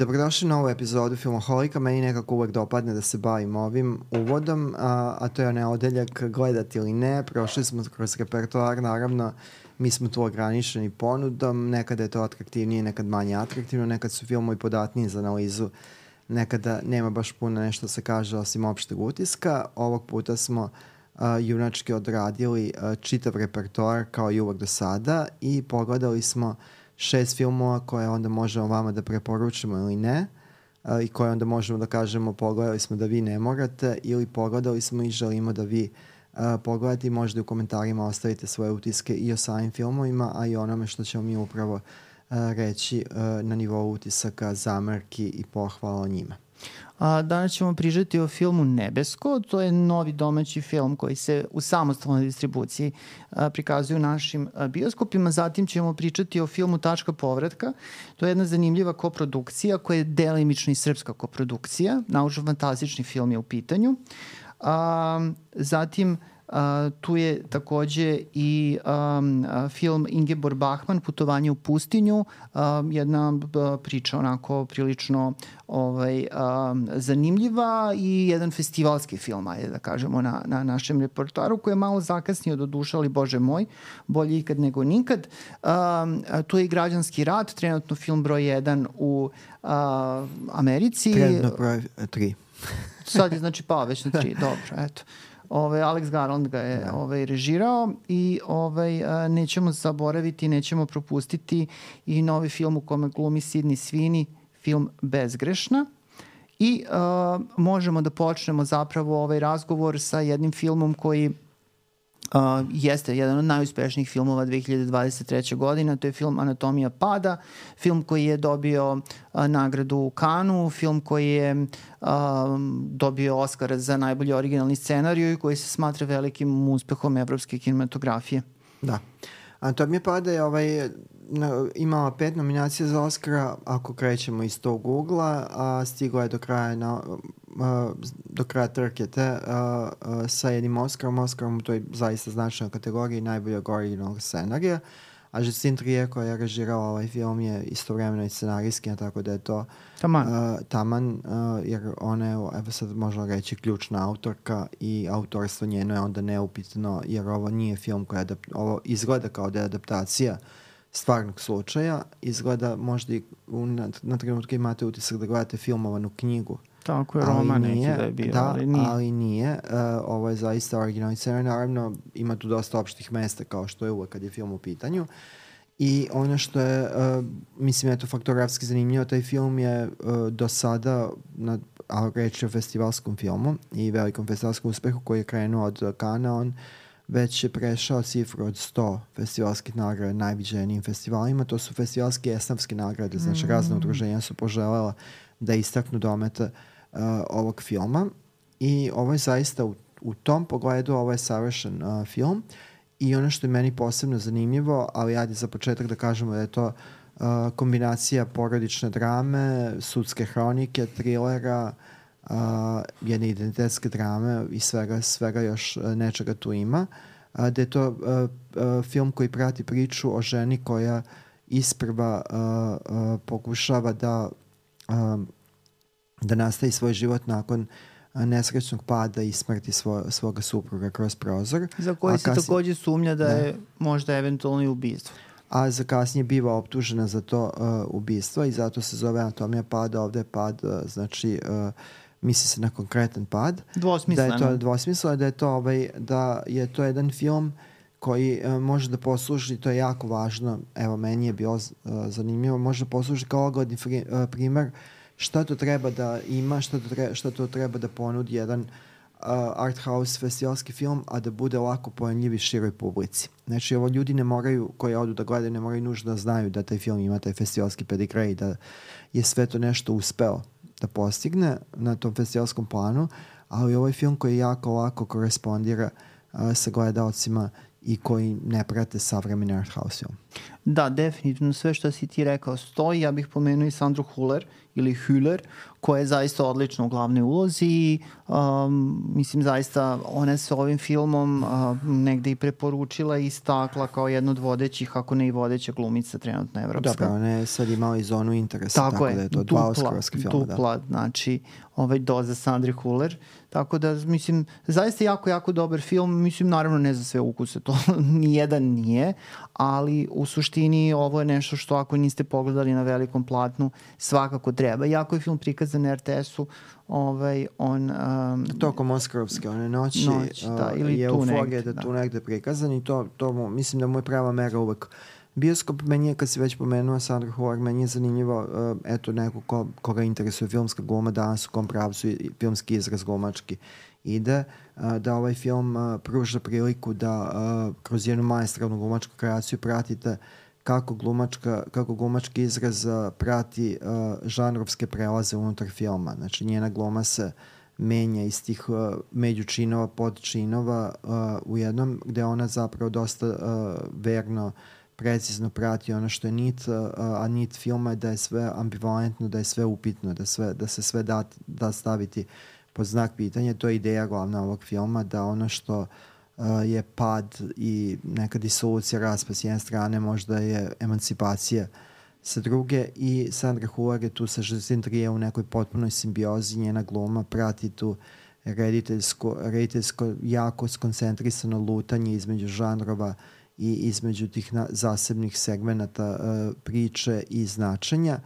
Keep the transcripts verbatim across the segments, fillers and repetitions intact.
Dobrodošli na ovu epizodu Filmoholika. Meni nekako uvek dopadne da se bavim ovim uvodom, a, a to je onaj odeljak gledati ili ne. Prošli smo kroz repertoar, naravno, mi smo tu ograničeni ponudom, nekada je to atraktivnije, nekad manje atraktivno, nekad su filmovi podatniji za analizu, nekada nema baš puno nešto se kaže osim opšteg utiska. Ovog puta smo a, junački odradili a, čitav repertoar kao i uvek do sada i pogledali smo šest filmova koje onda možemo vama da preporučimo ili ne uh, i koje onda možemo da kažemo pogledali smo da vi ne morate ili pogledali smo i želimo da vi uh, pogledate i možda u komentarima ostavite svoje utiske i o samim filmovima, a i onome što ćemo mi upravo uh, reći uh, na nivou utisaka, zamerki i pohvala o njima. A, danas ćemo pričati o filmu Nebesko. To je novi domaći film koji se u samostalnoj distribuciji a, prikazuje u našim a, bioskopima. Zatim ćemo pričati o filmu Tačka povratka. To je jedna zanimljiva koprodukcija koja je delimično i srpska koprodukcija. Naučno-fantastični film je u pitanju. A, zatim Uh, tu je takođe i um, uh, film Ingeborg Bachmann, Putovanje u pustinju, um, jedna uh, priča onako prilično ovaj, um, zanimljiva i jedan festivalski film, ajde da kažemo, na, na našem repertoaru koji je malo zakasnio do duša, ali bože moj, bolje ikad nego nikad. Um, tu je i Građanski rat, trenutno film broj jedan u uh, Americi. Trenutno broj tri. Sad je znači pao već na tri, dobro, eto. Ove, Alex Garland ga je ovaj, režirao i ovaj, a, nećemo zaboraviti, nećemo propustiti i novi film u kome glumi Sidney Sweeney, film Bezgrešna. I a, možemo da počnemo zapravo ovaj razgovor sa jednim filmom koji Uh, jeste jedan od najuspešnijih filmova dve hiljade dvadeset treće. godine. To je film Anatomija pada, film koji je dobio uh, nagradu u Kanu, film koji je uh, dobio Oskara za najbolji originalni scenariju i koji se smatra velikim uspehom evropske kinematografije. Da. Anatomija pada je ovaj, na, imala pet nominacija za Oscara, ako krećemo iz tog ugla, a stigla je do kraja na Uh, do kraja trke te, uh, uh, sa jednim Oscarom. Oscarom u toj zaista značajnoj kategoriji najboljeg originalnog scenarija. A Justine Trier koja je režirala ovaj film je istovremeno i scenarijski, tako da je to taman, uh, taman uh, jer ona je, evo sad možemo reći, ključna autorka i autorstvo njeno je onda neupitno, jer ovo nije film koji adap- ovo izgleda kao da je adaptacija stvarnog slučaja, izgleda možda i u, na, na trenutku imate utisak da gledate filmovanu knjigu. Tako je, roman neki da je bio, da, ali nije. ali nije. Uh, ovo je zaista originalni scenarij. Naravno, ima tu dosta opštih mesta, kao što je uvek kad je film u pitanju. I ono što je, uh, mislim, eto, faktografski zanimljivo, taj film je uh, do sada, na, a reč je o festivalskom filmu i velikom festivalskom uspehu koji je krenuo od Kana, on već je prešao cifru od sto festivalskih nagrada najviđenijim festivalima. To su festivalske i esnafske nagrade, znači mm. razne udruženja su poželjela da istaknu dometa uh, ovog filma i ovo je zaista u, u tom pogledu ovo je savršen uh, film i ono što je meni posebno zanimljivo, ali ajde za početak da kažemo da je to uh, kombinacija porodične drame, sudske hronike, trilera, uh, jedne identitetske drame i svega, svega još uh, nečega tu ima, uh, da je to uh, uh, film koji prati priču o ženi koja isprva uh, uh, pokušava da Um, da nastavi svoj život nakon uh, nesrećnog pada i smrti svo, svoga supruga kroz prozor. Za koji se kasnije, takođe sumnja da, da je možda eventualno i ubistvo. A za kasnije biva optužena za to uh, ubistvo i zato se zove Anatomija pada. Ovde je pad, uh, znači uh, misli se na konkretan pad. Dvosmisleno. Da je to dvosmisleno, da je to, ovaj, da je to jedan film koji uh, može da posluži, to je jako važno, evo meni je bilo uh, zanimljivo, može da posluži kao ogledni fri, uh, primer šta to treba da ima, šta to, treba, šta to treba da ponudi jedan uh, art house festivalski film, a da bude lako pojemljiv i široj publici. Znači ovo ljudi ne moraju, koji odu da gledaju, ne moraju nužno da znaju da taj film ima taj festivalski pedigre i da je sve to nešto uspeo da postigne na tom festivalskom planu, ali ovo je film koji jako lako korespondira uh, sa gledalcima i koji ne prate savremeni art house film. Da, definitivno sve što si ti rekao stoji. Ja bih pomenuo i Sandru Hüller ili Hüller, koja je zaista odlična u glavnoj ulozi i um, mislim zaista ona se ovim filmom uh, negde i preporučila i istakla kao jedna od vodećih, ako ne i vodeća glumica trenutno evropska. Dobro, ona je sad imala i zonu interesa, tako, tako je, da je to dupla, dva oscarovska filma. Dupla, da. znači ovaj doza Sandri Hüller. Tako da, mislim, zaista jako, jako dobar film. Mislim, naravno ne za sve ukuse, to nijedan nije, ali u suštini ovo je nešto što ako niste pogledali na velikom platnu, svakako treba. Jako je film prikazan na er te esu, ovaj, on... Um, Tokom Oskarovske, one noći, noć, da, ili je tu euforija negde, da, da. tu negde prikazan i to, to mislim da mu je prava mera uvek. Bioskop, meni je, kad si već pomenuo Sandra Hüller, meni je zanimljivo, uh, eto, neko ko, koga interesuje filmska gluma, danas u kom pravcu i filmski izraz glumački ide, uh, da ovaj film uh, pruža priliku da uh, kroz jednu maestralnu glumačku kreaciju pratite kako glumačka, kako glumački izraz uh, prati uh, žanrovske prelaze unutar filma. Znači, njena gluma se menja iz tih uh, međučinova, podčinova uh, u jednom, gde ona zapravo dosta uh, verno precizno prati ono što je nit, a nit filma je da je sve ambivalentno, da je sve upitno, da, sve, da se sve da, da staviti pod znak pitanja. To je ideja glavna ovog filma, da ono što uh, je pad i neka disolucija, raspad s jedne strane, možda je emancipacija sa druge, i Sandra Hüller je tu sa Justine Triet u nekoj potpunoj simbiozi, njena gluma prati tu rediteljsko, rediteljsko jako skoncentrisano lutanje između žanrova i između tih na, zasebnih segmenata uh, priče i značenja.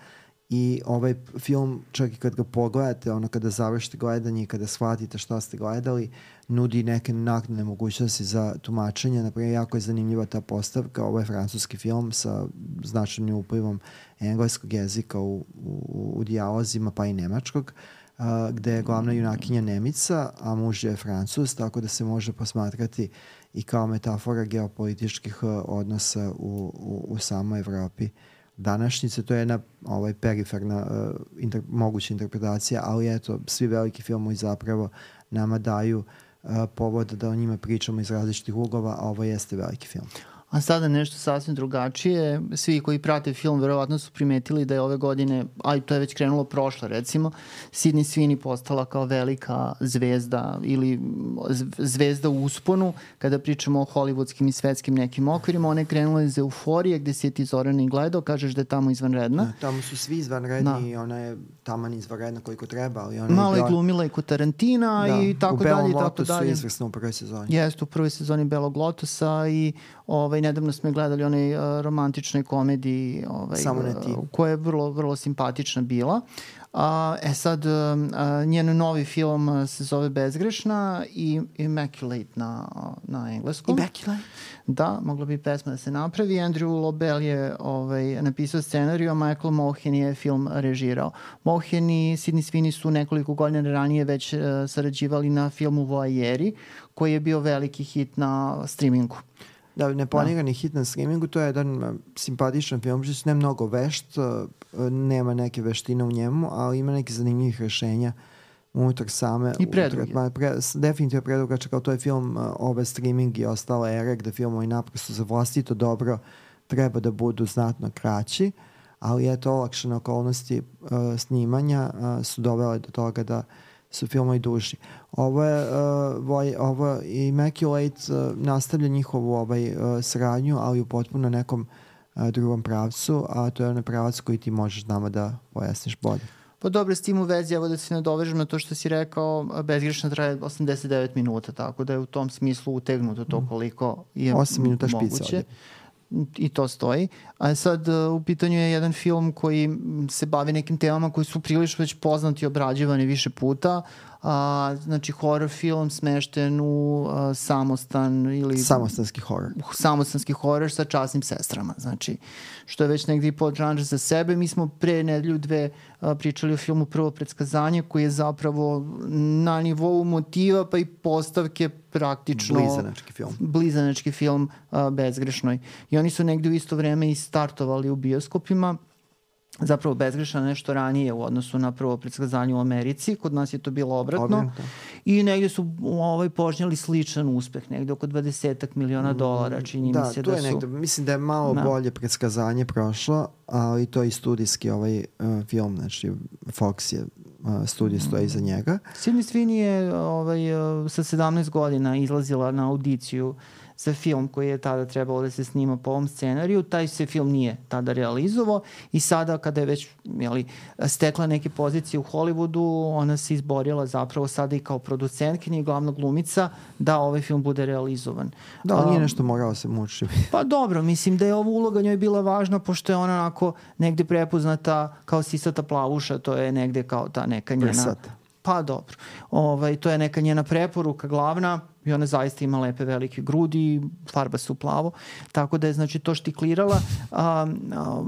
I ovaj film, čak i kad ga pogledate, ono kada završite gledanje i kada shvatite šta ste gledali, nudi neke naknadne mogućnosti za tumačenje. Naprimjer, jako je zanimljiva ta postavka. Ovo je francuski film sa značajnim uplivom engleskog jezika u, u, u dijalozima, pa i nemačkog, uh, gde je glavna junakinja Nemica, a muž je Francuz, tako da se može posmatrati i kao metafora geopolitičkih uh, odnosa u, u, u samoj Evropi današnjice. To je jedna ovaj, periferna uh, inter, moguća interpretacija, ali eto, svi veliki filmovi zapravo nama daju uh, povod da o njima pričamo iz različitih uglova, a ovo jeste veliki film. A sada nešto sasvim drugačije. Svi koji prate film verovatno su primetili da je ove godine, a to je već krenulo prošle recimo, Sydney Sweeney postala kao velika zvezda ili zvezda u usponu. Kada pričamo o hollywoodskim i svetskim nekim okvirima, ona je krenula iz Euforije gde si je ti Zorana i gledao, kažeš da je tamo izvanredna. Da, tamo su svi izvanredni i ona je taman izvanredna koliko treba. Ali ona malo je bila... glumila i kod Tarantina da, i tako dalje. U Belom Lotusu je izvrsno u prvoj sezoni. Jeste, u prvoj sezoni Belog Lotusa i ovaj, nedavno smo gledali onaj uh, romantičnoj komediji ovaj, Samo ne ti. Uh, koja je vrlo, vrlo simpatična bila. Uh, e sad, uh, uh, njen novi film uh, se zove Bezgrešna i Immaculate na, na engleskom. Immaculate? Da, mogla bi pesma da se napravi. Andrew Lobel je ovaj, napisao scenariju, a Michael Mohen je film režirao. Mohen i Sydney Sweeney su nekoliko godina ranije već uh, sarađivali na filmu Voyeurs, koji je bio veliki hit na streamingu. Da, neplanirani da. hit na streamingu, to je jedan uh, simpatičan film, što ne mnogo vešt, uh, nema neke veštine u njemu, ali ima neke zanimljivih rešenja unutar same. I predug je. Pre, definitivno predugačak, kao to je film uh, ove streaming i ostale ere, gde filmovi naprosto za vlastito dobro treba da budu znatno kraći, ali eto, olakšane okolnosti uh, snimanja uh, su dovele do toga da su filmovi duži. Ovo je uh, voj, ovo Immaculate uh, nastavlja njihovu ovaj, uh, saradnju, ali u potpuno nekom uh, drugom pravcu, a to je onaj pravac koji ti možeš nama da pojasniš bolje. Pa dobro, s tim u vezi, evo da se nadovežem na to što si rekao, Bezgrešna traje osamdeset devet minuta, tako da je u tom smislu utegnuto to koliko je osam minuta moguće. Špica I to stoji. A sad u pitanju je jedan film koji se bavi nekim temama koji su prilično već poznati i obrađivani više puta. A, znači horror film smešten u a, samostan ili... Samostanski horror. Samostanski horror sa časnim sestrama. Znači, što je već negdje podžanr za sebe. Mi smo pre nedelju dve a, pričali o filmu Prvo predskazanje, koji je zapravo na nivou motiva pa i postavke praktično... Blizanački film. Blizanački film a, Bezgrešnoj. I oni su negdje u isto vreme i startovali u bioskopima. zapravo bezgrešan nešto ranije u odnosu na prvo predskazanje u Americi. Kod nas je to bilo obratno. Obrnuto. I negdje su ovaj, požnjeli sličan uspeh, negdje oko dvadesetak miliona dolara, čini da, mi se da da su... Da, negde, mislim da je malo da. bolje predskazanje prošlo, ali to i studijski ovaj uh, film, znači Fox je uh, studij stoji iza njega. Sydney Sweeney je ovaj, uh, sa sedamnaest godina izlazila na audiciju za film koji je tada trebalo da se snima po ovom scenariju. Taj se film nije tada realizovao i sada kada je već jeli, stekla neke pozicije u Hollywoodu, ona se izborila zapravo sada i kao producentkinja i glavna glumica da ovaj film bude realizovan. Da, on nije nešto morao se mučiti. Pa dobro, mislim da je ova uloga njoj bila važna pošto je ona onako negde prepoznata kao sisata plavuša, to je negde kao ta neka njena... Prsata. Pa dobro. Ovaj, to je neka njena preporuka glavna i ona zaista ima lepe velike grudi, farba se u plavo, tako da je znači to štiklirala. A, a,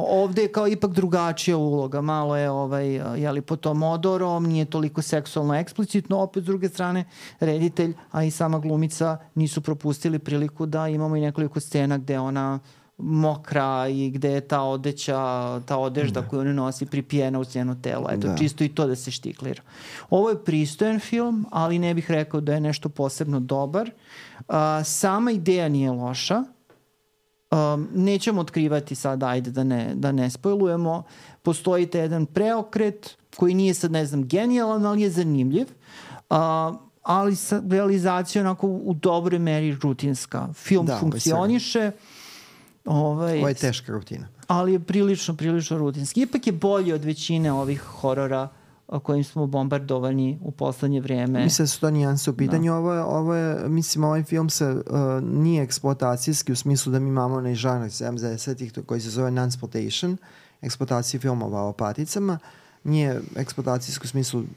ovde je kao ipak drugačija uloga, malo je ovaj, jeli, po tom odorom, nije toliko seksualno eksplicitno, opet s druge strane reditelj, a i sama glumica nisu propustili priliku da imamo i nekoliko scena gde ona mokra i gde je ta odeća, ta odežda da. koju ona nosi pripijena uz njeno telo. Eto, da. čisto i to da se štiklira. Ovo je pristojan film, ali ne bih rekao da je nešto posebno dobar. Uh, sama ideja nije loša. Um, nećemo otkrivati sad, ajde da ne, da ne spojlujemo. Postoji te jedan preokret koji nije sad, ne znam, genijalan, ali je zanimljiv. Uh, ali sa realizacijom onako u dobroj meri rutinska. Film da, funkcioniše. Ovaj, Ovo je teška rutina. Ali je prilično, prilično rutinski. Ipak je bolji od većine ovih horora kojim smo bombardovani u poslednje vrijeme. Mislim da su to nijanse u pitanju. Da. Ovo je, ovo je, mislim, ovaj film se uh, nije eksploatacijski u smislu da mi imamo onaj žanr sedamdesetih koji se zove non-exploitation, eksploatacija filmova o paticama. Nije eksploatacijski u smislu uh,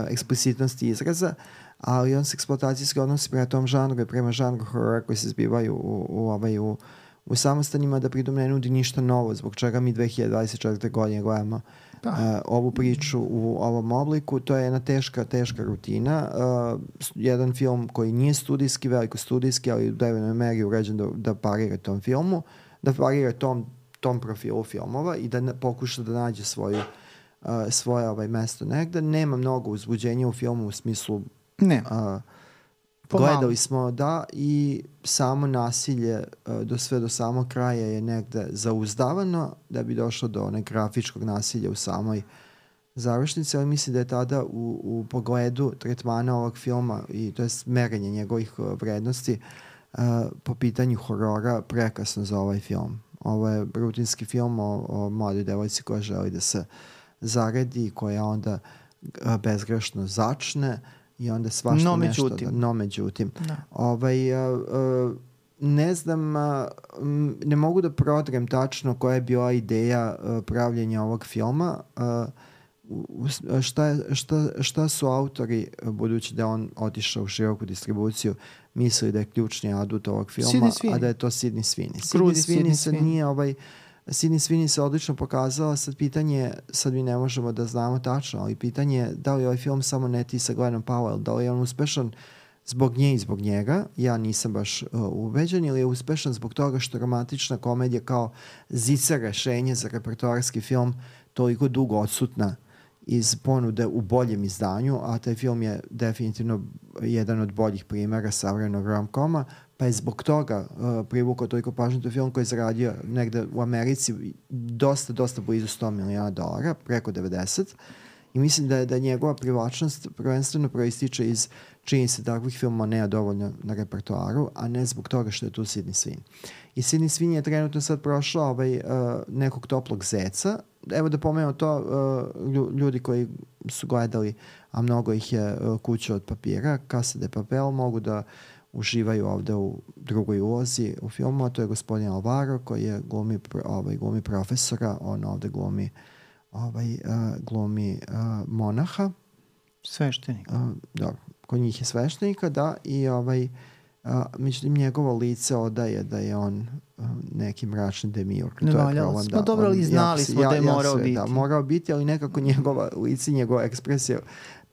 eksplicitnosti izraza, ali on se eksploatacijski odnosi prema tom žanru i prema žanru horora koji se zbivaju u, u, ovaj, u u samostanima, da pritom ne nudi ništa novo, zbog čega mi dve hiljade dvadeset četvrte. godine gledamo uh, ovu priču u ovom obliku. To je jedna teška, teška rutina. Uh, jedan film koji nije studijski, veliko studijski, ali u devojnoj meri uređen da, da parira tom filmu, da parira tom, tom profilu filmova i da ne, pokuša da nađe svoju, uh, svoje ovaj, mesto negde. Nema mnogo uzbuđenja u filmu u smislu... Ne. Uh, Gledali smo, da, i samo nasilje do sve do samog kraja je negde zauzdavano da bi došlo do onog grafičkog nasilja u samoj završnici, ali mislim da je tada u, u pogledu tretmana ovog filma i to je merenje njegovih vrednosti uh, po pitanju horora prekasno za ovaj film. Ovo je rutinski film o, o mladoj devojci koja želi da se zaredi, koja onda uh, bezgrešno začne i onda svašta no, nešto. Međutim. Da, no međutim. Da. Ovaj, uh, uh, ne znam, uh, ne mogu da prodrem tačno koja je bila ideja uh, pravljenja ovog filma. Uh, šta, šta, šta su autori, budući da on otišao u široku distribuciju, mislili da je ključni adut ovog filma, a da je to Sydney Sweeney. Sydney Sweeney se nije ovaj... Sydney Sweeney se odlično pokazala, sad pitanje, sad mi ne možemo da znamo tačno, ali pitanje je da li ovaj film samo ne ti sa Glenom Powell, da li je on uspešan zbog nje i zbog njega, ja nisam baš uh, ubeđen, ili je uspešan zbog toga što romantična komedija kao zica rešenje za repertoarski film toliko dugo odsutna iz ponude u boljem izdanju, a taj film je definitivno jedan od boljih primjera savremenog rom-koma, pa je zbog toga uh, privukao toliko pažnju. To je film koji je zaradio negde u Americi dosta, dosta blizu sto miliona dolara, preko devedeset. I mislim da je, da je njegova privlačnost prvenstveno proističe iz činjenice takvih filmova nema dovoljno na repertoaru, a ne zbog toga što je tu Sydney Sweeney. I Sydney Sweeney je trenutno sad prošla ovaj, uh, nekog toplog zeca. Evo da pomenemo to, uh, ljudi koji su gledali, a mnogo ih je uh, Kuća od papira, Casa de Papel, mogu da uživaju ovde u drugoj ulozi u filmu, a to je gospodin Alvaro koji je glumi, ovaj, glumi profesora, on ovde glumi ovaj, uh, glumi uh, monaha. Sveštenika. Uh, dobro, kod njih je sveštenika, da, i ovaj, uh, međutim njegovo lice odaje da je on uh, neki mračni demiurg. Ne valjalo smo, da, dobro, ali znali smo ja, da je ja, morao ja biti. Da, morao biti, ali nekako njegova lice, njegova ekspresija,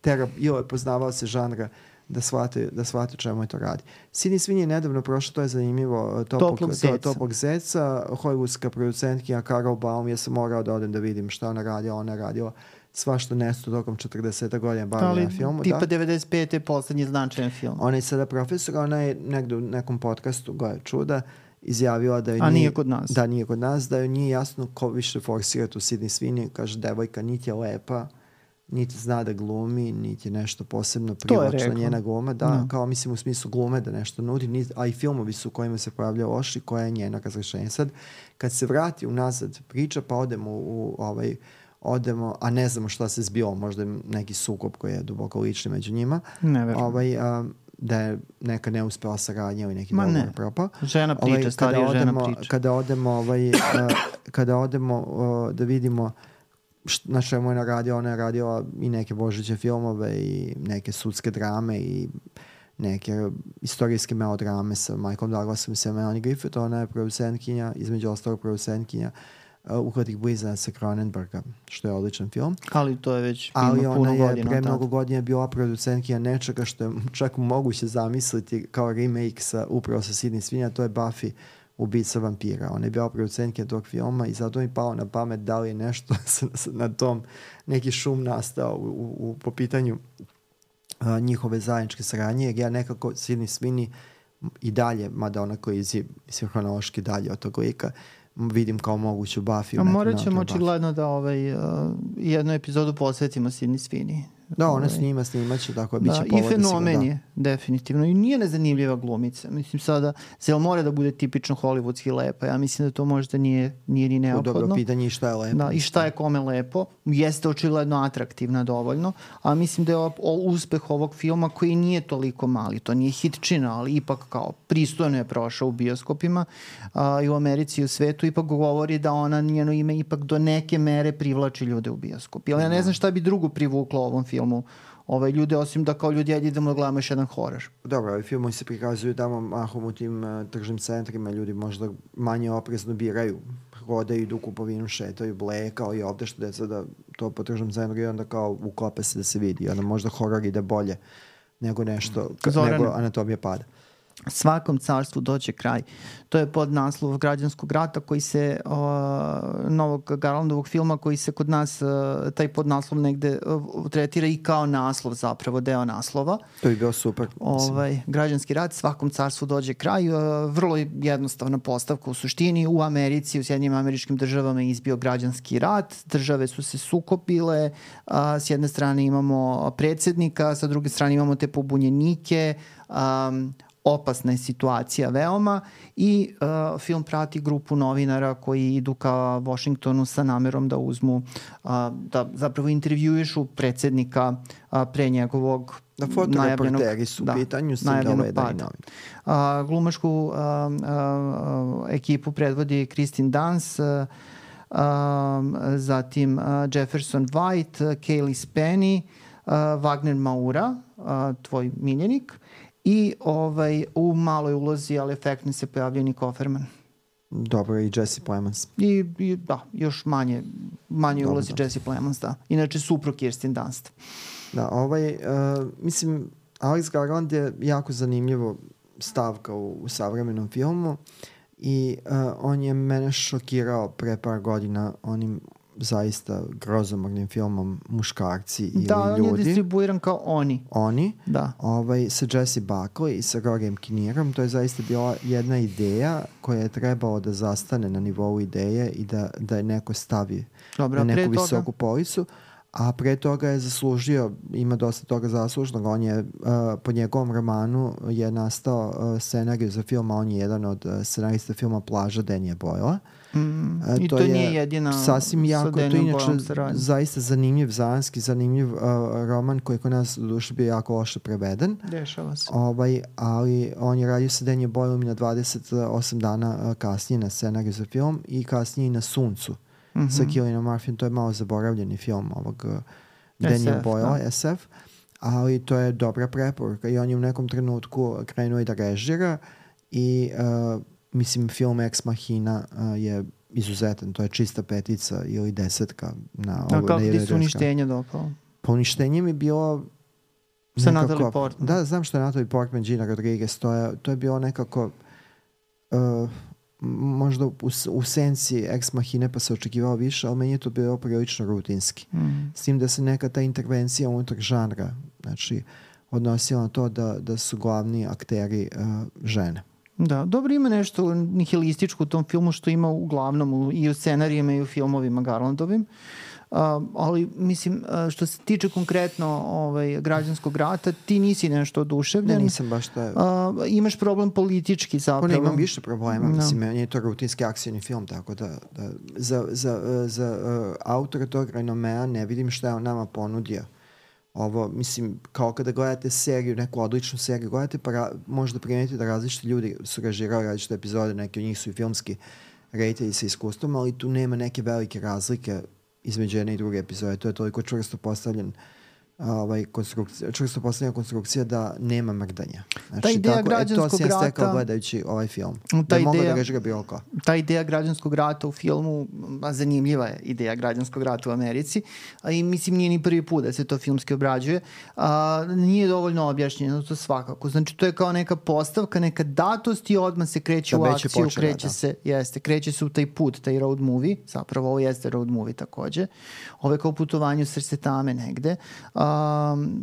tera, ili je poznavao se žanra da shvate, da shvate čemu je to radi. Sidney Sweeney je nedavno prošlo, to je zanimljivo, Toplog, Toplog zeca. to, Toplog zeca, hollywoodska producentkinja Carol Baum, ja sam morao da odem da vidim šta ona radila, ona je radila svašta nešto tokom četrdeset godina bavljenja na filmu. Tipa da. devedeset pete je poslednji značajan film. Ona je sada profesor, ona je negde u nekom podcastu, goje čuda, izjavila da je A nije kod nas. Da, nije kod nas, da joj nije jasno ko više forsira tu Sidney Sweeney. Kaže, devojka niti je lepa, niti zna da glumi, niti je nešto posebno privlačna njena gluma. Da, no. Kao mislim u smislu glume da nešto nudi, niti, a i filmovi su u kojima se pojavlja loši, koja je njena razrešenja. Sad, kad se vrati unazad priča, pa odemo u, u ovaj, odemo, a ne znamo šta se zbilo, možda je neki sukob koji je duboko lični među njima. Ne verujem. Ovaj, a, da je neka neuspela saradnja ili neki dogovor propao. Žena priča, ovaj, starija odemo, žena priča. Kada odemo, ovaj, uh, kada odemo uh, da vidimo št, na čemu je naradio, ona je radila i neke božiće filmove i neke sudske drame i neke istorijske melodrame sa Michaelom Douglasom i sa Melanie Griffith. Ona je producentkinja, između ostalog producentkinja Uh, Uhvatih blizanaca sa Cronenberga, što je odličan film. Ali to je već Ali ima puno godina. Ali ona je pre mnogo godina bila producentkinja nečega što je čak moguće zamisliti kao remake sa, upravo sa Sidney Sweeney, a to je Buffy, ubica vampira. Ona je bila producentkinja tog filma i zato mi pao na pamet da li je nešto na tom neki šum nastao u, u, u, po pitanju uh, njihove zajedničke saradnje, jer ja nekako Sidney Sweeney i dalje, mada ona koji je mislim, hronološki dalje od tog lika, vidim kao moguću Buffy. A morat ćemo očigledno da ovaj, uh, jednu epizodu posvetimo Sidney Sweeney. Da, ona snima, snimaće, tako da, biće da, povod. I fenomen je, definitivno. I nije nezanimljiva glumica. Mislim sada, zel mora da bude tipično hollywoodski lepa. Ja mislim da to možda nije, nije ni neophodno. Dobro pitanje i šta je lepo. Da, i šta je kome lepo. Jeste očigledno atraktivna dovoljno. A mislim da je o, o, uspeh ovog filma koji nije toliko mali. To nije hitčina, ali ipak kao pristojno je prošao u bioskopima a, i u Americi i u svetu. Ipak govori da ona, njeno ime ipak do neke mere privlači ljude u bioskop. Ali ja ne znam šta bi drugo privuklo ovom filmu. Ovaj, ljude, osim da kao ljudi ajde idemo da gledamo još jedan horor. Dobro, ovi filmovi se prikazuju tamo mahom u tim uh, tržnim centrima, ljudi možda manje oprezno biraju, hodaju, idu u kupovinu, šetaju, bleje, kao i ovde što deca da to po tržnom centru i onda kao uklope se da se vidi, onda možda horor ide bolje nego nešto, Zorane, nego Anatomija pada. Svakom carstvu doće kraj. To je podnaslov Građanskog rata koji se, uh, novog Garlandovog filma koji se kod nas, uh, taj podnaslov negde uh, tretira i kao naslov zapravo, deo naslova. To bi bio super. Ovaj, Građanski rat, svakom carstvu dođe kraj. Uh, vrlo jednostavna postavka u suštini. U Americi, u Sjedinjenim Američkim Državama je izbio građanski rat. Države su se sukopile. Uh, s jedne strane imamo predsjednika, sa druge strane imamo te pobunjenike. Um, opasna je situacija veoma i uh, film prati grupu novinara koji idu ka Washingtonu sa namerom da uzmu, uh, da zapravo intervjuišu predsjednika uh, pre njegovog da fotoreporteri su u da, pitanju, s tim da ovaj da i novin. Uh, glumašku uh, uh, ekipu predvodi Kristen Dunst, uh, uh, zatim uh, Jefferson White, uh, Kaylee Spenny, uh, Wagner Maura, uh, tvoj miljenik, i ovaj, u maloj ulozi, ali efektno se pojavljaju Nick Offerman. Dobro, i Jesse Plemons. I, i da, još manje, manje ulozi da. Jesse Plemons, da. Inače, suprug Kirsten Dunst. Da, ovaj, uh, mislim, Alex Garland je jako zanimljivo stavka u, u savremenom filmu i uh, on je mene šokirao pre par godina onim zaista grozomornim filmom Muškarci ili da, ljudi. Da, on je distribuiran kao Oni. Oni. Da. Ovaj, sa Jesse Buckley i sa Rogem Kinnearom. To je zaista bila jedna ideja koja je trebalo da zastane na nivou ideje i da, da je neko stavi Dobra, na neku visoku toga... policu. A pre toga je zaslužio, ima dosta toga zaslužnog. On je, uh, po njegovom romanu je nastao uh, scenarij za film, a on je jedan od uh, scenarista filma Plaža Danija Boyla. Mm, uh, I to, to nije jedina sasvim jako, to je inače zaista zanimljiv, zanski, zanimljiv uh, roman koji kod nas u duši bio jako loše preveden. Dešava se. Ovaj, ali on je radio sa Danija Boylom i na dvadeset osam dana uh, kasnije na scenariju za film i kasnije i na Suncu. Mm-hmm. Sa Cillianom Murphyjem, to je malo zaboravljeni film ovog uh, Danija Boyla, da. S F, ali to je dobra preporuka i on je u nekom trenutku krenuo i da režira i uh, mislim film Ex Machina uh, je izuzetan, to je čista petica ili desetka. Na A kako ti su uništenje dopao? Pa uništenje mi je bilo Sa Natalie Portman. Da, znam što je Natalie Portman, Gina Rodriguez, to je, to je bilo nekako uh, možda u, u senci Ex Machine pa se očekivao više, ali meni je to bilo prilično rutinski. Mm. S tim da se neka ta intervencija unutar žanra, znači odnosila na to da, da su glavni akteri uh, žene. Da, dobro, ima nešto nihilističko u tom filmu što ima uglavnom u, i u scenarijima i u filmovima Garlandovim. Uh, ali mislim, uh, što se tiče konkretno ovaj, Građanskog rata, ti nisi nešto oduševljen. Ne, nisam baš to. Uh, imaš problem politički zapravo. Ne, imam više problema. No. Mislim, meni je to rutinski akcijni film, tako da, da za, za, za uh, autora tog renomea ne vidim šta je on nama ponudio. Ovo, mislim, kao kada gledate seriju, neku odličnu seriju, gledate pa ra, možda primetite da različiti ljudi su režirali različite epizode, neki od njih su i filmski reditelji sa iskustvom, ali tu nema neke velike razlike između jedne i druge epizode. To je toliko čvrsto postavljen ovaj, konstrukcija, čvrsto postavljena konstrukcija da nema mrdanja. Znači, ta ideja tako, građanskog e, to si ja rata, stekao gledajući ovaj film. Ta da mogu ideja, da režira bilo ko. Ta ideja građanskog rata u filmu, a zanimljiva je ideja građanskog rata u Americi, a i mislim nije ni prvi put da se to filmski obrađuje, a, nije dovoljno objašnjeno to svakako. Znači to je kao neka postavka, neka datost i odmah se kreće da u akciju, počela, kreće da. se, jeste, kreće se u taj put, taj road movie, zapravo ovo jeste road movie takođe. Ovo je kao putovanje u srce tame negde. A,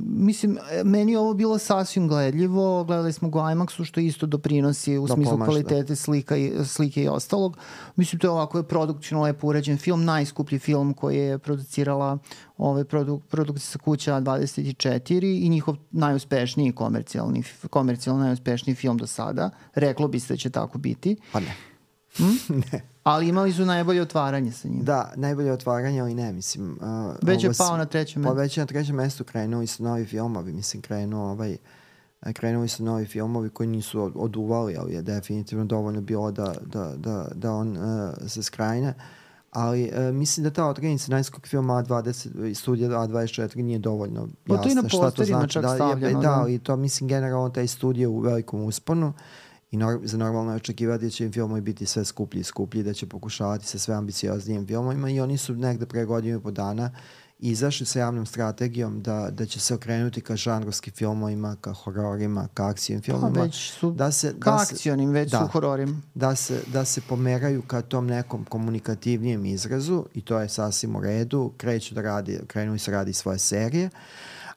mislim, meni je ovo bilo sasvim gledljivo, gledali smo go IMAX-u što isto doprinosi u da, smislu pomaš, kvalitete slika i, slike i ostalog. Mislim, to je ovako je produkcijno lepo urađen film, najskuplji film koji je producirala ove produk, produkcija kuća A dvadeset četiri i njihov najuspešniji komercijalni, komercijalno najuspešniji film do sada. Reklo biste da će tako biti. Pa ne. Hm? Ne. Ali imali su najbolje otvaranje sa njim. Da, najbolje otvaranje, ali ne, mislim... Uh, već je pao na trećem mestu. Pa već je na trećem mestu krenuli su novi filmovi, mislim, krenuo ovaj... Krenuli su novi filmovi koji nisu oduvali, ali je definitivno dovoljno bilo da, da, da, da on uh, se skrajne. Ali uh, mislim da ta odrednica najskog filma A dvadeset, studija A dvadeset četiri nije dovoljno jasna. Pa to i na posterima čak da, stavljeno. Je, da, ali to mislim generalno taj studij u velikom usponu i nor, za normalno očekivati da će im filmovi biti sve skuplji i skuplji, da će pokušavati sa sve ambicioznijim filmovima i oni su negde pre godinu i po dana izašli sa javnom strategijom da, da će se okrenuti ka žanrovskim filmovima, ka hororima, ka akcijnim filmovima. Pa već su, da se, ka da se, akcijnim, već da, su hororim. Da se, da se pomeraju ka tom nekom komunikativnijem izrazu i to je sasvim u redu. Kreću da radi, krenu se radi svoje serije,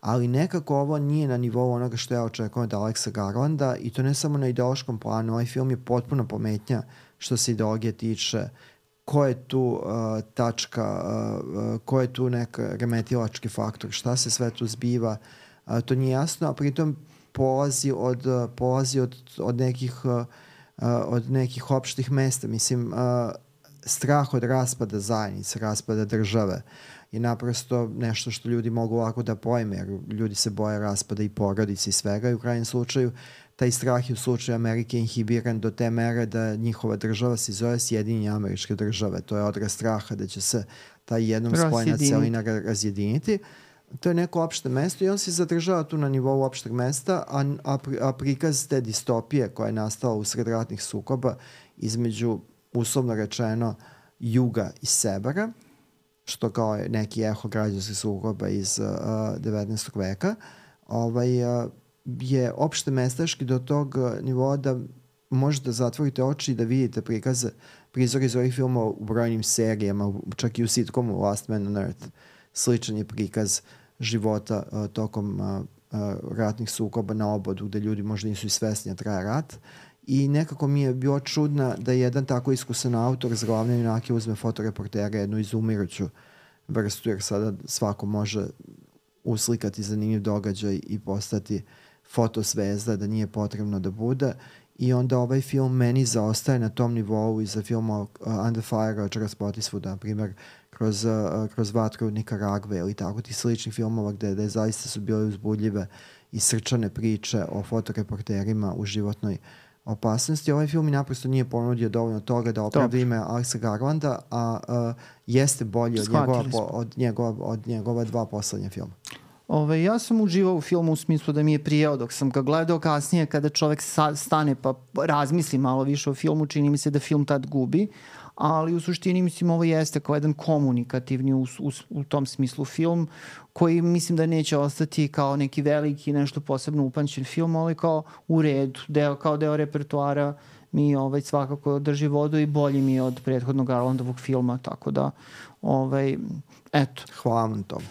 ali nekako ovo nije na nivou onoga što ja očekujem od Alexa Garlanda i to ne samo na ideološkom planu. Ovaj film je potpuno pometnja što se ideologije tiče, ko je tu uh, tačka, uh, ko je tu neka remetilački faktor, šta se sve tu zbiva, uh, to nije jasno, a pritom polazi od, uh, polazi od, od, nekih, uh, od nekih opštih mesta. Mislim, uh, strah od raspada zajednice, raspada države je naprosto nešto što ljudi mogu lako da pojme, jer ljudi se boje raspada i porodice i svega i u krajnjem slučaju taj strah je u slučaju Amerike inhibiran do te mere da njihova država se zove Sjedinjene Američke Države. To je odraz straha da će se ta jednom spojena celina razjediniti. To je neko opšte mesto i on se zadržava tu na nivou opšteg mesta, a, a, a prikaz te distopije koja je nastala usred ratnih sukoba između, uslovno rečeno, juga i severa, što kao je neki eho građanskih sukoba iz uh, devetnaestog veka, ovaj, uh, je opšte mestaški do tog nivoa da možete zatvorite oči i da vidite prikaze, prizor iz ovih filmova u brojnim serijama, čak i u sitcomu Last Man on Earth. Sličan je prikaz života uh, tokom uh, uh, ratnih sukoba na obodu, gde ljudi možda nisu i svesni da traje rat. I nekako mi je bilo čudna da jedan tako iskusan autor za glavne junake uzme fotoreportera, jednu izumiruću vrstu, jer sada svako može uslikati zanimljiv događaj i postati fotosvezda, da nije potrebno da bude. I onda ovaj film meni zaostaje na tom nivou i za film uh, Under Fire od Charles Spottiswooda, na primjer, kroz, uh, kroz Vatru Nikaragve ili tako ti sličnih filmova gde, gde zaista su bile uzbudljive i srčane priče o fotoreporterima u životnoj opasnosti. Ovaj film mi naprosto nije ponudio dovoljno toga da opravda ime Alexa Garlanda, a uh, jeste bolji od njegova, po, od, njegova, od njegova dva poslednja filma. Ove, ja sam uživao u filmu u smislu da mi je prijao dok sam ga gledao, kasnije kada čovek sa, stane pa razmisli malo više o filmu, čini mi se da film tad gubi, ali u suštini mislim ovo jeste kao jedan komunikativni u, u, u tom smislu film koji mislim da neće ostati kao neki veliki, nešto posebno upamćen film, ali kao u redu, deo, kao deo repertoara mi ovaj, svakako drži vodu i bolji mi je od prethodnog Garlandovog filma, tako da ovaj, eto. Hvala na tom.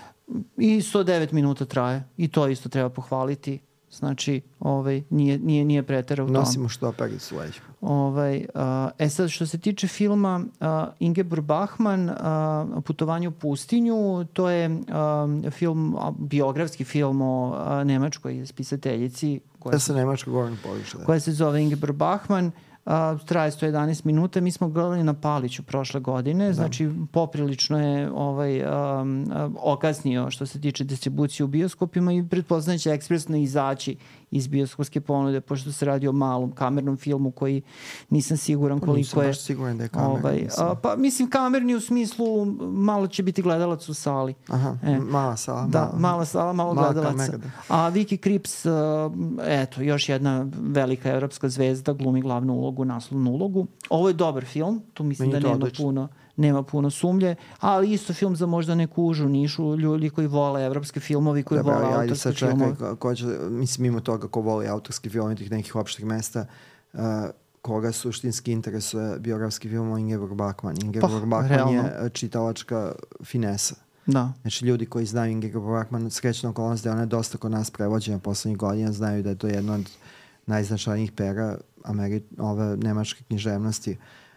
I sto devet minuta traje i to isto treba pohvaliti. Znači, ovaj, nije, nije, nije pretera u tom. Nosimo što pericu leđu. Ovaj, a, e sad, što se tiče filma a, Ingeborg Bachmann, a, Putovanje u pustinju, to je a, film, a, biografski film o a, nemačkoj spisateljici koja, da se nemačko govorno područje. koja se zove Ingeborg Bachmann. Uh, traje sto jedanaest minuta. Mi smo gledali na Paliću prošle godine, da. Znači poprilično je ovaj, um, okasnio što se tiče distribucije u bioskopima i pretpostavljam će ekspresno izaći iz bioskopske ponude, pošto se radi o malom kamernom filmu koji nisam siguran koliko nisam je... Nisam baš siguran da je kamerni. Ovaj, a, pa mislim kamerni u smislu malo će biti gledalac u sali. Aha, e. mala sala. Da, mala, mala sala, malo mala gledalaca. Kamera, a Vicky Krieps, uh, eto, još jedna velika evropska zvezda, glumi glavnu ulogu, naslovnu ulogu. Ovo je dobar film, tu mislim Meni da nema odlično. puno nema puno sumlje, ali isto film za možda neku užu nišu, ljudi koji vole evropske filmovi, koji Dobre, vole ajde, autorske sad čekaj, filmove. Ko, ko će, mislim, mimo toga ko voli autorski film tih nekih opštih mesta, uh, koga suštinski interesuje biografski film o Ingeborg Bachmann. Ingeborg pa, Bachmann realno. je čitalačka finesa. Da. Znači, ljudi koji znaju Ingeborg Bachmann, srećna okolnost da je ona dosta kod nas prevođena poslednjih godina, znaju da je to jedno od najznačajnijih pera Ameri ove nemačke književnosti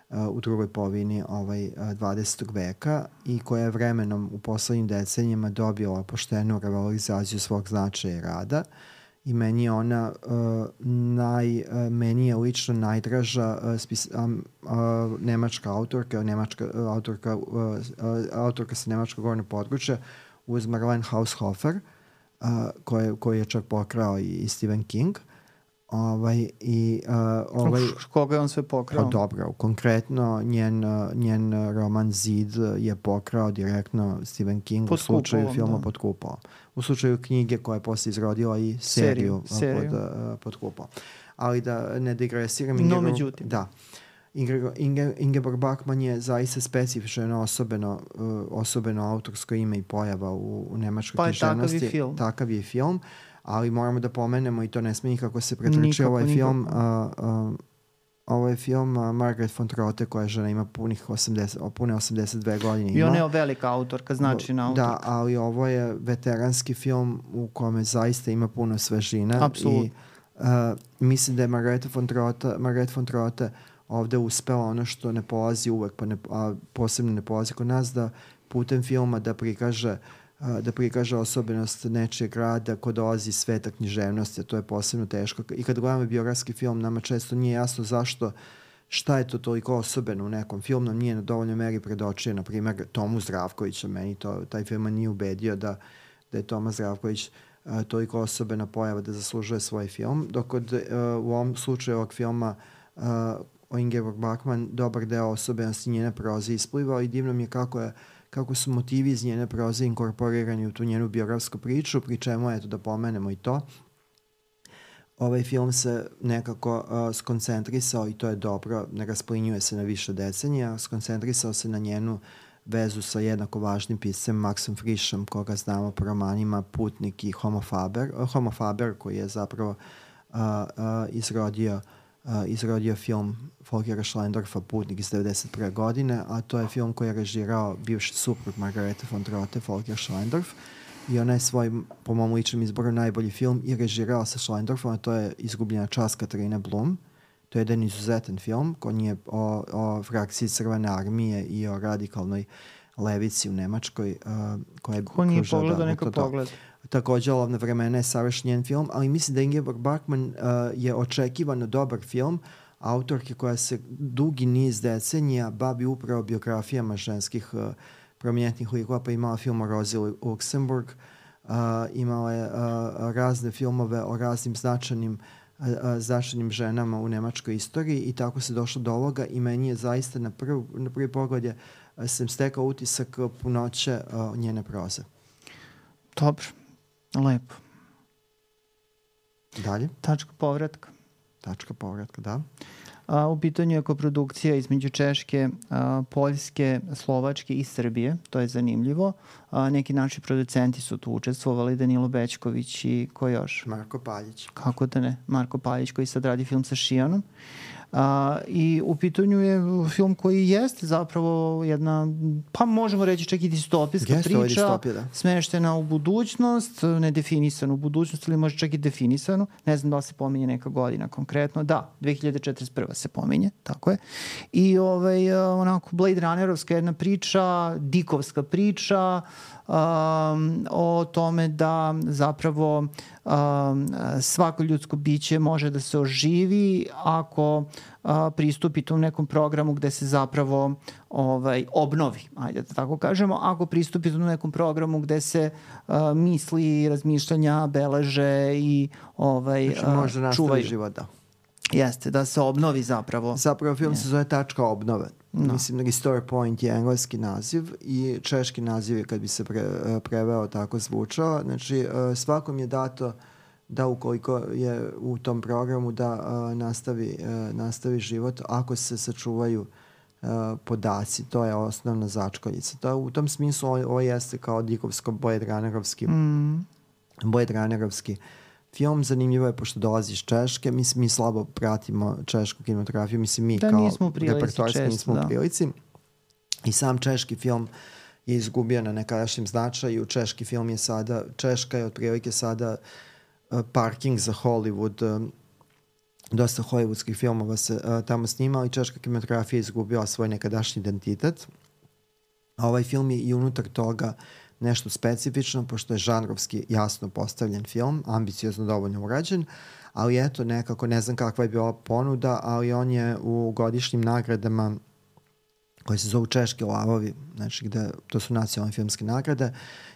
uh, u drugoj polovini ovaj, uh, dvadesetog veka i koja je vremenom u poslednjim decenijama dobila poštenu revalorizaciju svog značaja i rada. I meni je ona uh, naj, uh, meni je lično najdraža uh, spis, um, uh, nemačka autorka, nemačka uh, autorka, uh, uh, autorka sa nemačkog govornog područja uz Marlene Haushofer, uh, koje, koji je čak pokrao i, i Stephen King. Ovaj, i, uh, ovaj, Uf, koga je on sve pokrao? Pa dobro, konkretno njen, njen roman Zid je pokrao direktno Stephen King pod u slučaju kupolom, filma da. Pod kupolom. U slučaju knjige koja je posle izrodila i seriju, seriju. Pod, uh, pod kupolom. Ali da ne digresiram. No, međutim. Da. Inge, Inge, Ingeborg Bachmann je zaista specifično osobeno, uh, osobeno autorsko ime i pojava u, u nemačkoj pa književnosti. Takav je film. Takav je film. Ali moramo da pomenemo i to ne sme nikako se pretrči ovaj nikako. film. Uh, uh, ovo je film uh, Margaret von Trotte koja žena ima punih osamdeset, pune osamdeset dve godine. I ona je velika autorka, značajna autorka. Da, ali ovo je veteranski film u kome zaista ima puno svežina. Apsolutno. I uh, mislim da je Margaret von Trotte, Margaret von Trotte ovde uspela ono što ne polazi uvek, pa ne, a posebno ne polazi kod nas, da putem filma da prikaže da prikaže osobenost nečijeg rada ko dolazi iz sveta književnosti, a to je posebno teško. I kad gledamo biografski film, nama često nije jasno zašto, šta je to toliko osobeno u nekom filmu, nam nije na dovoljnoj meri predočio, na primjer, Tomu Zdravkovića, meni to, taj film nije ubedio da, da je Toma Zdravković uh, toliko osobena pojava da zaslužuje svoj film, dok od, uh, u ovom slučaju ovog filma uh, o Ingeborg Bachmann dobar deo osobenosti njene proze isplivao i divno mi je kako je kako su motivi iz njene proze inkorporirani u tu njenu biografsku priču, pri čemu, eto, da pomenemo i to. Ovaj film se nekako uh, skoncentrisao, i to je dobro, ne rasplinjuje se na više decenija, skoncentrisao se na njenu vezu sa jednako važnim piscem Maxom Frischem, koga znamo po romanima Putnik i Homo Faber, uh, Homo Faber koji je zapravo uh, uh, izrodio Uh, izrodio film Volkera Schlendorfa Putnik iz devedeset prve godine, a to je film koji je režirao bivši suprug Margarete von Trotte, Volker Schlendorf, i ona je svoj, po mom ličnom izboru, najbolji film i režirao sa Schlendorfom, a to je Izgubljena čast Katarine Blum. To je jedan izuzetan film koji je o, o frakciji Crvene armije i o radikalnoj levici u Nemačkoj. Uh, koja je Ko nije pogledao, neka pogleda. Takođe, Olovna vremena je savršen njen film, ali mislim da Ingeborg Bachmann uh, je očekivano dobar film autorke koja se dugi niz decenija bavi upravo biografijama ženskih uh, prominentnih likova, pa imala film o Rozi Luxemburg, uh, imala je uh, razne filmove o raznim značajnim, uh, značajnim ženama u nemačkoj istoriji i tako se došlo do ovoga i meni je zaista na, prv, na prvi pogled je, uh, sam stekao utisak punoće uh, njene proze. Dobro. Lepo. Dalje? Tačka povratka. Tačka povratka, da. A, u pitanju je koprodukcija između Češke, a, Poljske, Slovačke i Srbije. To je zanimljivo. A, neki naši producenti su tu učestvovali, Danilo Bećković i ko još? Marko Paljić. Kako da ne? Marko Paljić koji sad radi film sa Šijanom. A, i u pitanju je film koji jeste zapravo jedna, pa možemo reći čak i distopijska Jeste, priča, distopija, da. smeštena u budućnost, nedefinisanu u budućnost ili možda čak i definisanu, ne znam da li se pominje neka godina konkretno, da, dve hiljade četrdeset prva se pominje, tako je, i ovaj, onako Blade Runnerovska jedna priča, dikovska priča, Um, o tome da zapravo um, svako ljudsko biće može da se oživi ako uh, pristupi tom nekom programu gde se zapravo ovaj, obnovi, ajde da tako kažemo, ako pristupi tom nekom programu gde se uh, misli, razmišljanja, beleže i ovaj, znači, može uh, nastavi čuvaju. život, da. Jeste, da se obnovi zapravo. Zapravo film Je. se zove Tačka obnove. No. Mislim da Restore Point je engleski naziv i češki naziv je kad bi se pre, preveo tako zvučao. Znači svakom je dato da ukoliko je u tom programu da uh, nastavi, uh, nastavi život ako se sačuvaju uh, podaci. To je osnovna začkoljica. To, u tom smislu ovo, ovo jeste kao dikovsko Blade Runnerovski Mm. Blade Runnerovski film. Zanimljivo je pošto dolazi iz Češke. Mi, mi slabo pratimo češku kinematografiju. Mislim, mi da, kao repertoarski nismo u prilici. I sam češki film je izgubio na nekadašnjem značaju. Češki film je sada, Češka je otprilike sada uh, parking za Hollywood. Uh, dosta hollywoodskih filmova se uh, tamo snima, i češka kinematografija je izgubila svoj nekadašnji identitet. A ovaj film je i unutar toga nešto specifično, pošto je žanrovski jasno postavljen film, ambiciozno dovoljno urađen, ali eto nekako, ne znam kakva je bila ponuda, ali on je u godišnjim nagradama koje se zovu Češki lavovi, znači gde, to su nacionalne filmske nagrade,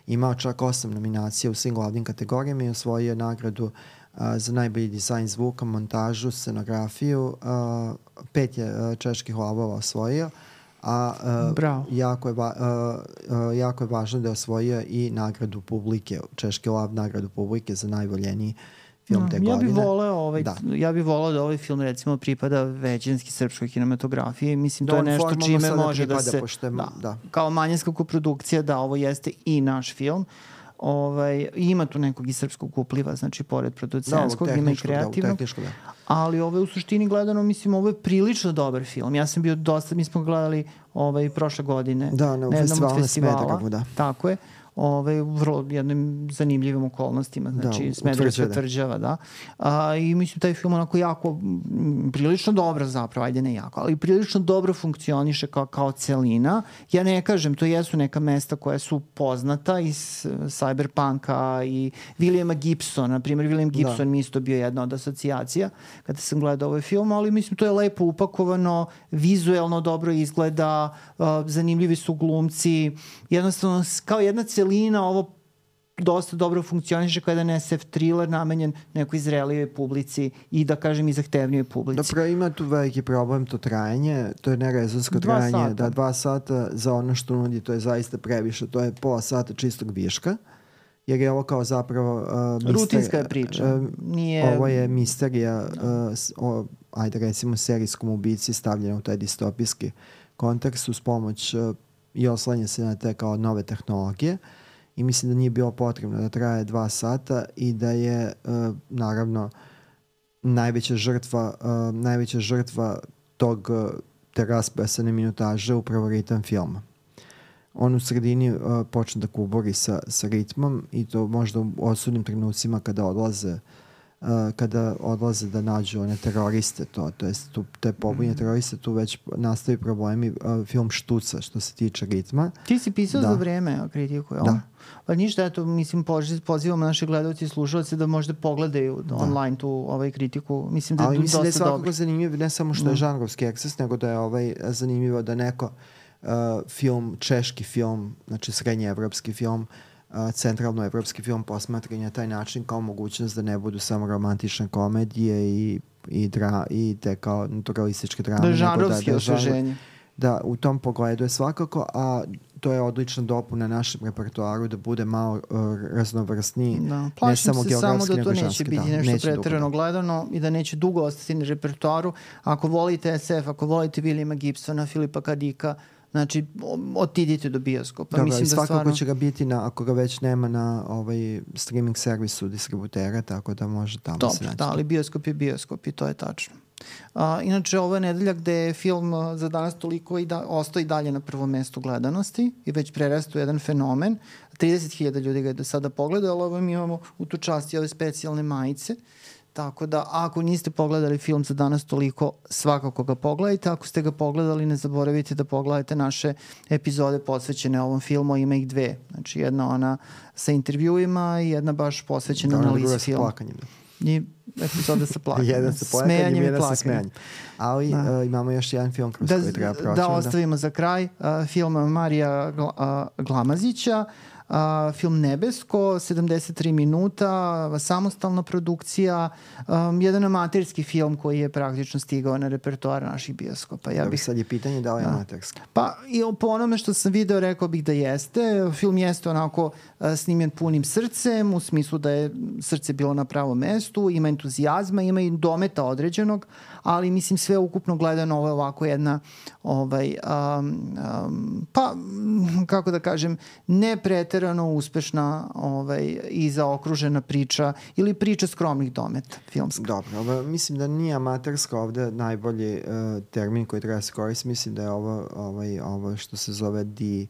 imao čak osam nominacija u svim glavnim kategorijama i osvojio nagradu a, za najbolji dizajn zvuka, montažu, scenografiju, a, pet je a, Čeških lavova osvojio, a uh, jako, je va, uh, uh, jako je važno da je osvojio i nagradu publike, Češki lav nagradu publike za najvoljeniji film no, te ja godine. Bih voleo ovaj, da. Ja bih voleo da ovaj film recimo pripada većinski srpskoj kinematografiji. Mislim, da, to je nešto čime može pripada, da se... Pošto, da, da. Kao manjinska koprodukcija, da, ovo jeste i naš film. Ovaj, ima tu nekog i srpskog upliva, znači pored producentskog, da, ima i kreativnog. Da, da. Ali ovo je u suštini gledano, mislim, ovo je prilično dobar film. Ja sam bio dosta, mi smo gledali ovaj, prošle godine da, na, na jednom od festivala. Smederevu, da. Tako je. Ove, u vrlo jednim zanimljivim okolnostima, znači da, Smederevska tvrđava, da. A, i mislim taj film onako jako, m, prilično dobro zapravo, ajde ne jako, ali prilično dobro funkcioniše kao, kao celina. Ja ne kažem, to jesu neka mesta koja su poznata iz Cyberpunka i Williama Gibsona, na primjer William Gibson da. Mi isto bio jedna od asocijacija kada sam gledao ovaj film, ali mislim to je lepo upakovano, vizuelno dobro izgleda, uh, zanimljivi su glumci, jednostavno kao jedna celina ovo dosta dobro funkcioniše kao jedan es ef thriller namenjen nekoj zrelijoj publici i da kažem i zahtevnijoj publici. Dobro, ima tu veliki problem to trajanje, to je nerezonsko trajanje, sata. Da dva sata za ono što nudi, to je zaista previše, to je pola sata čistog viška, jer je ovo kao zapravo uh, mister, rutinska je priča. Uh, Nije... Ovo je misterija uh, o, ajde recimo serijskom ubici stavljena u taj distopijski kontekst uz pomoć uh, i oslanja se na te kao nove tehnologije. I mislim da nije bilo potrebno da traje dva sata i da je uh, naravno najveća žrtva uh, najveća žrtva tog uh, te raspasane minutaže upravo ritam filma. On u sredini uh, počne da kubori sa, sa ritmom i to možda u osudnim trenucima kada odlaze Uh, kada odlaze da nađu one teroriste, to, to jest tu, te pobunje teroriste, tu već nastavi problemi, uh, film štuca što se tiče ritma. Ti si pisao da. Za vreme kritiku, jel? Da. Pa ništa, eto, mislim, pozivamo naše gledalci i slušalci da možda pogledaju da. Online tu ovaj kritiku. Mislim da je ali mislim da je svakako dobro. Zanimljivo, ne samo što je žanrovski eksces, nego da je ovaj zanimljivo da neko uh, film, češki film, znači srednjeevropski film, Uh, centralnoevropski film posmatra na taj način kao mogućnost da ne budu samo romantične komedije i, i, dra, i te kao naturalističke drame. Da žanrovski osveženje. da u tom pogledu je svakako, a to je odlična dopuna našem repertoaru da bude malo uh, raznovrsniji. Da. Plašim ne samo se samo da to neće ženski, biti da, nešto neće preterano dugo, gledano i da neće dugo ostati na repertoaru. Ako volite es ef, ako volite Williama Gibsona, Filipa K. Dicka, znači otidite do bioskopa. Dobro, mislim i svakako da stvarno... će ga biti na, ako ga već nema na ovaj streaming servisu distributera, tako da može tamo Dobro, se naći. Da, ali bioskop je bioskop i to je tačno. A, inače, ovo je nedelja gde je film Za danas toliko i da, ostao i dalje na prvom mestu gledanosti i već prerastao jedan fenomen. trideset hiljada ljudi ga je do sada pogledao, ali ovo mi imamo u tu časti ove specijalne majice. Tako da, ako niste pogledali film Za danas toliko, svakako ga pogledajte. Ako ste ga pogledali, ne zaboravite da pogledate naše epizode posvećene ovom filmu. Ima ih dve. Znači, jedna ona sa intervjuima i jedna baš posvećena da, analizi filma. Plakanjem. I epizoda sa plakanjem. Jedan sa plakanjem, jedan sa smejanjem. Ali da. uh, imamo još jedan film kroz da, koji treba proći. Da ostavimo za kraj uh, film Marija Gla, uh, Glamazića. Uh, film Nebesko, sedamdeset tri minuta, samostalna produkcija, um, jedan amaterski film koji je praktično stigao na repertoar naših bioskopa. Ja da, bih, sad je pitanje da li je da. amaterski. Pa i po onome što sam video rekao bih da jeste. Film jeste onako uh, snimljen punim srcem, u smislu da je srce bilo na pravom mestu, ima entuzijazma, ima i dometa određenog, ali mislim sve ukupno gledano ovo je ovako jedna ovaj, um, um, pa kako da kažem, ne preterano uspešna ovaj, i zaokružena priča ili priča skromnih dometa filmska. Dobro, ovo, mislim da nije amaterska ovde najbolji uh, termin koji treba se koristiti. Mislim da je ovo, ovaj, ovo što se zove D,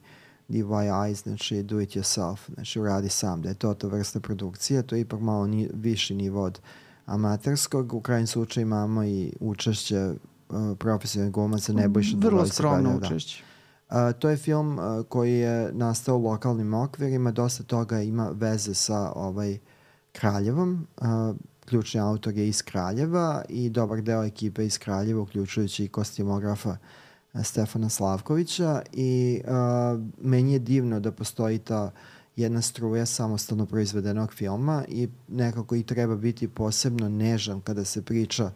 D Y I, znači do it yourself, znači uradi sam, da je to ta vrsta produkcije, to je ipak malo ni, viši nivo od amaterskog. U krajnjem slučaju imamo i učešće uh, profesionalnih glumaca Nebojša Duvalića. Vrlo skromno učešće. Uh, to je film uh, koji je nastao u lokalnim okvirima, dosta toga ima veze sa ovaj Kraljevom. Uh, ključni autor je iz Kraljeva i dobar deo ekipe iz Kraljeva, uključujući i kostimografa uh, Stefana Slavkovića i uh, meni je divno da postoji ta jedna struja samostalno proizvedenog filma i nekako i treba biti posebno nežan kada se priča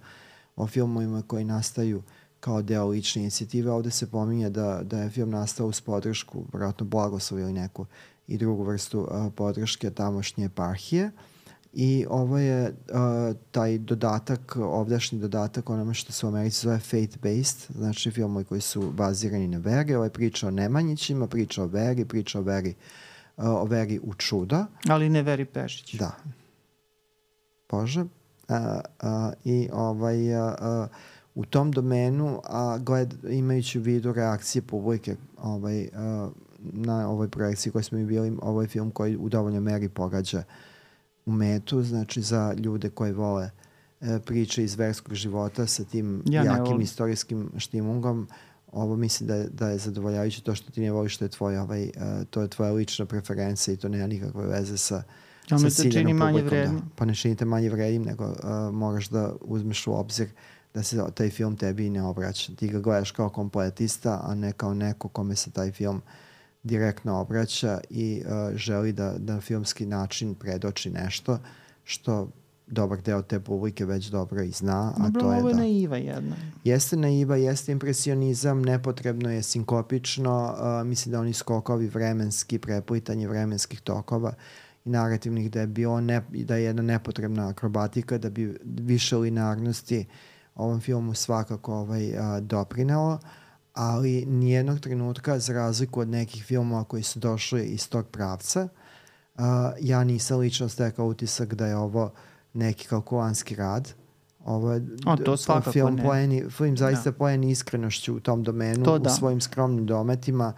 o filmovima koji nastaju kao deo lične inicijative. Ovde se pominje da, da je film nastao uz podršku, vjerojatno blagoslov ili neku i drugu vrstu uh, podrške tamošnje eparhije. I ovo je uh, taj dodatak, ovdašnji dodatak onome što se u Americi zove faith-based, znači filmovi koji su bazirani na veri. Ovo je priča o Nemanjićima, priča o veri, priča o veri, uh, o veri u čuda. Ali ne Veri Pešić. Da. Bože. Uh, uh, I ovaj... Uh, uh, u tom domenu, a gled, imajući u vidu reakcije publike ovaj, uh, na ovoj projekciji koji smo i bili, ovaj film koji u dovoljnoj meri pogađa u metu, znači za ljude koji vole uh, priče iz verskog života sa tim ja jakim istorijskim štimungom, ovo mislim da je, da je zadovoljavajuće. To što ti ne voliš, to je tvoja, ovaj, uh, to je tvoja lična preferencija i to nema nikakve veze sa ja sa ciljenom publikom. Da. Pa ne činite manje vrednim, nego uh, moraš da uzmeš u obzir da se taj film tebi ne obraća. Ti ga gledaš kao kompletista, a ne kao neko kome se taj film direktno obraća i uh, želi da, da na filmski način predoči nešto što dobar deo te publike već dobro i zna. Dobro, a to je ovo je da, naiva jedna. Jeste naiva, jeste impresionizam, nepotrebno je sinkopično, uh, mislim da oni skokovi vremenski, preplitanje vremenskih tokova i narativnih, da je bilo ne, da je jedna nepotrebna akrobatika, da bi više linearnosti ovom filmu svakako ovaj, a, doprinelo, ali nijednog trenutka, za razliku od nekih filmova koji su došli iz tog pravca, a, ja nisam lično stekao utisak da je ovo neki kalkulanski rad. Ovo je o, to svakako film, ne. Pojeni, film zaista da. Pojeni iskrenošću u tom domenu, to u da. svojim skromnim dometima,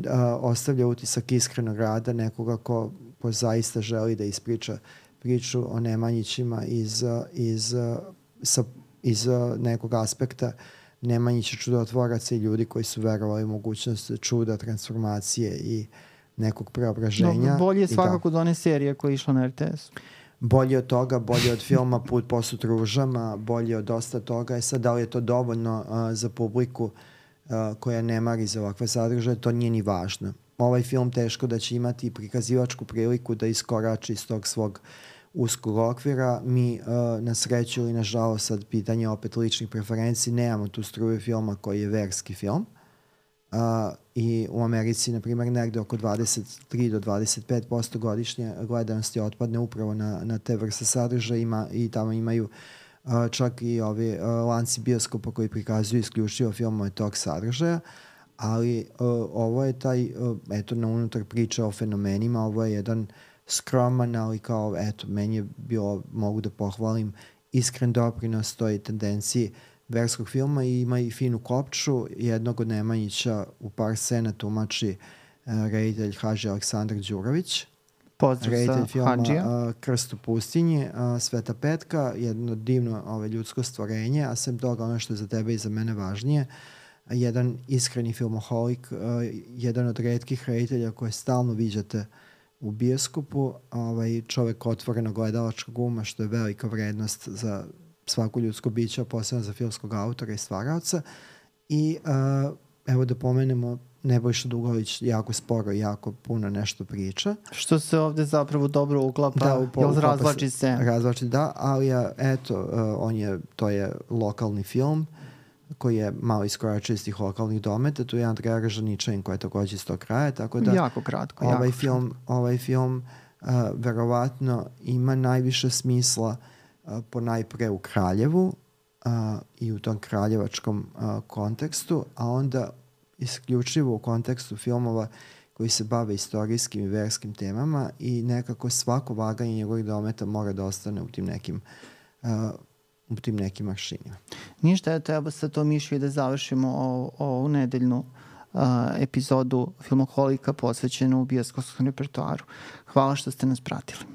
a, ostavlja utisak iskrenog rada nekoga ko, ko zaista želi da ispriča priču o Nemanjićima iz, iz, sa iz uh, nekog aspekta Nemanjića čudotvoraca i ljudi koji su verovali u mogućnost čuda, transformacije i nekog preobraženja. No, bolje je svakako da, do one serije koja je išla na er te es. Bolje od toga, bolje od filma Put posut ružama, bolje od dosta toga. E sad, da li je to dovoljno uh, za publiku uh, koja ne mari za ovakve sadržaje, to nije ni važno. Ovaj film teško da će imati prikazivačku priliku da iskorači iz tog svog uskog okvira. Mi uh, na sreću ili nažalost, sad pitanje opet ličnih preferenciji, nemamo tu struju filma koji je verski film. Uh, i u Americi, na primjer, negde oko dvadeset tri do dvadeset pet posto godišnje gledanosti otpadne upravo na, na te vrste sadržaja ima, i tamo imaju uh, čak i ovi uh, lanci bioskopa koji prikazuju isključivo filmove tog sadržaja, ali uh, ovo je taj, uh, eto, na unutar priča o fenomenima, ovo je jedan skroman, ali kao, eto, meni je bilo, mogu da pohvalim, iskren doprinos toj tendenciji verskog filma i ima i finu kopču. Jednog od Nemanjića u par scena tumači uh, reditelj Hadži Aleksandar Đurović. Pozdrav sa filma Hadžija. uh, Krst u pustinji, uh, Sveta Petka, jedno divno ove, ljudsko stvorenje, a sem toga ono što je za tebe i za mene važnije, jedan iskreni filmoholik, uh, jedan od retkih reditelja koje stalno viđate u bioskopu, ovaj, čovek otvoreno gledalačkog uma, što je velika vrednost za svako ljudsko biće, a posebno za filmskog autora i stvaraoca. I uh, evo da pomenemo, Nebojša Dugović jako sporo i jako puno nešto priča. Što se ovde zapravo dobro uklapa, da, upo, jel razvlači se? Razvlači, da, ali ja, eto, uh, on je, to je lokalni film koji je malo iskoračio iz tih lokalnih dometa. Tu je Andreja Ražaničanin koja je takođe iz tog kraja, tako da jako kratko, ovaj jako film, kratko. ovaj film uh, verovatno ima najviše smisla uh, po najpre u Kraljevu uh, i u tom kraljevačkom uh, kontekstu, a onda isključivo u kontekstu filmova koji se bave istorijskim i verskim temama i nekako svako vaganje njegovih dometa mora da ostane u tim nekim uh, u tim nekim maršinima. Ništa, eto, evo sa to mišlju da završimo ovu nedeljnu uh, epizodu Filmoholika posvećenu u bioskopskom repertoaru. Hvala što ste nas pratili.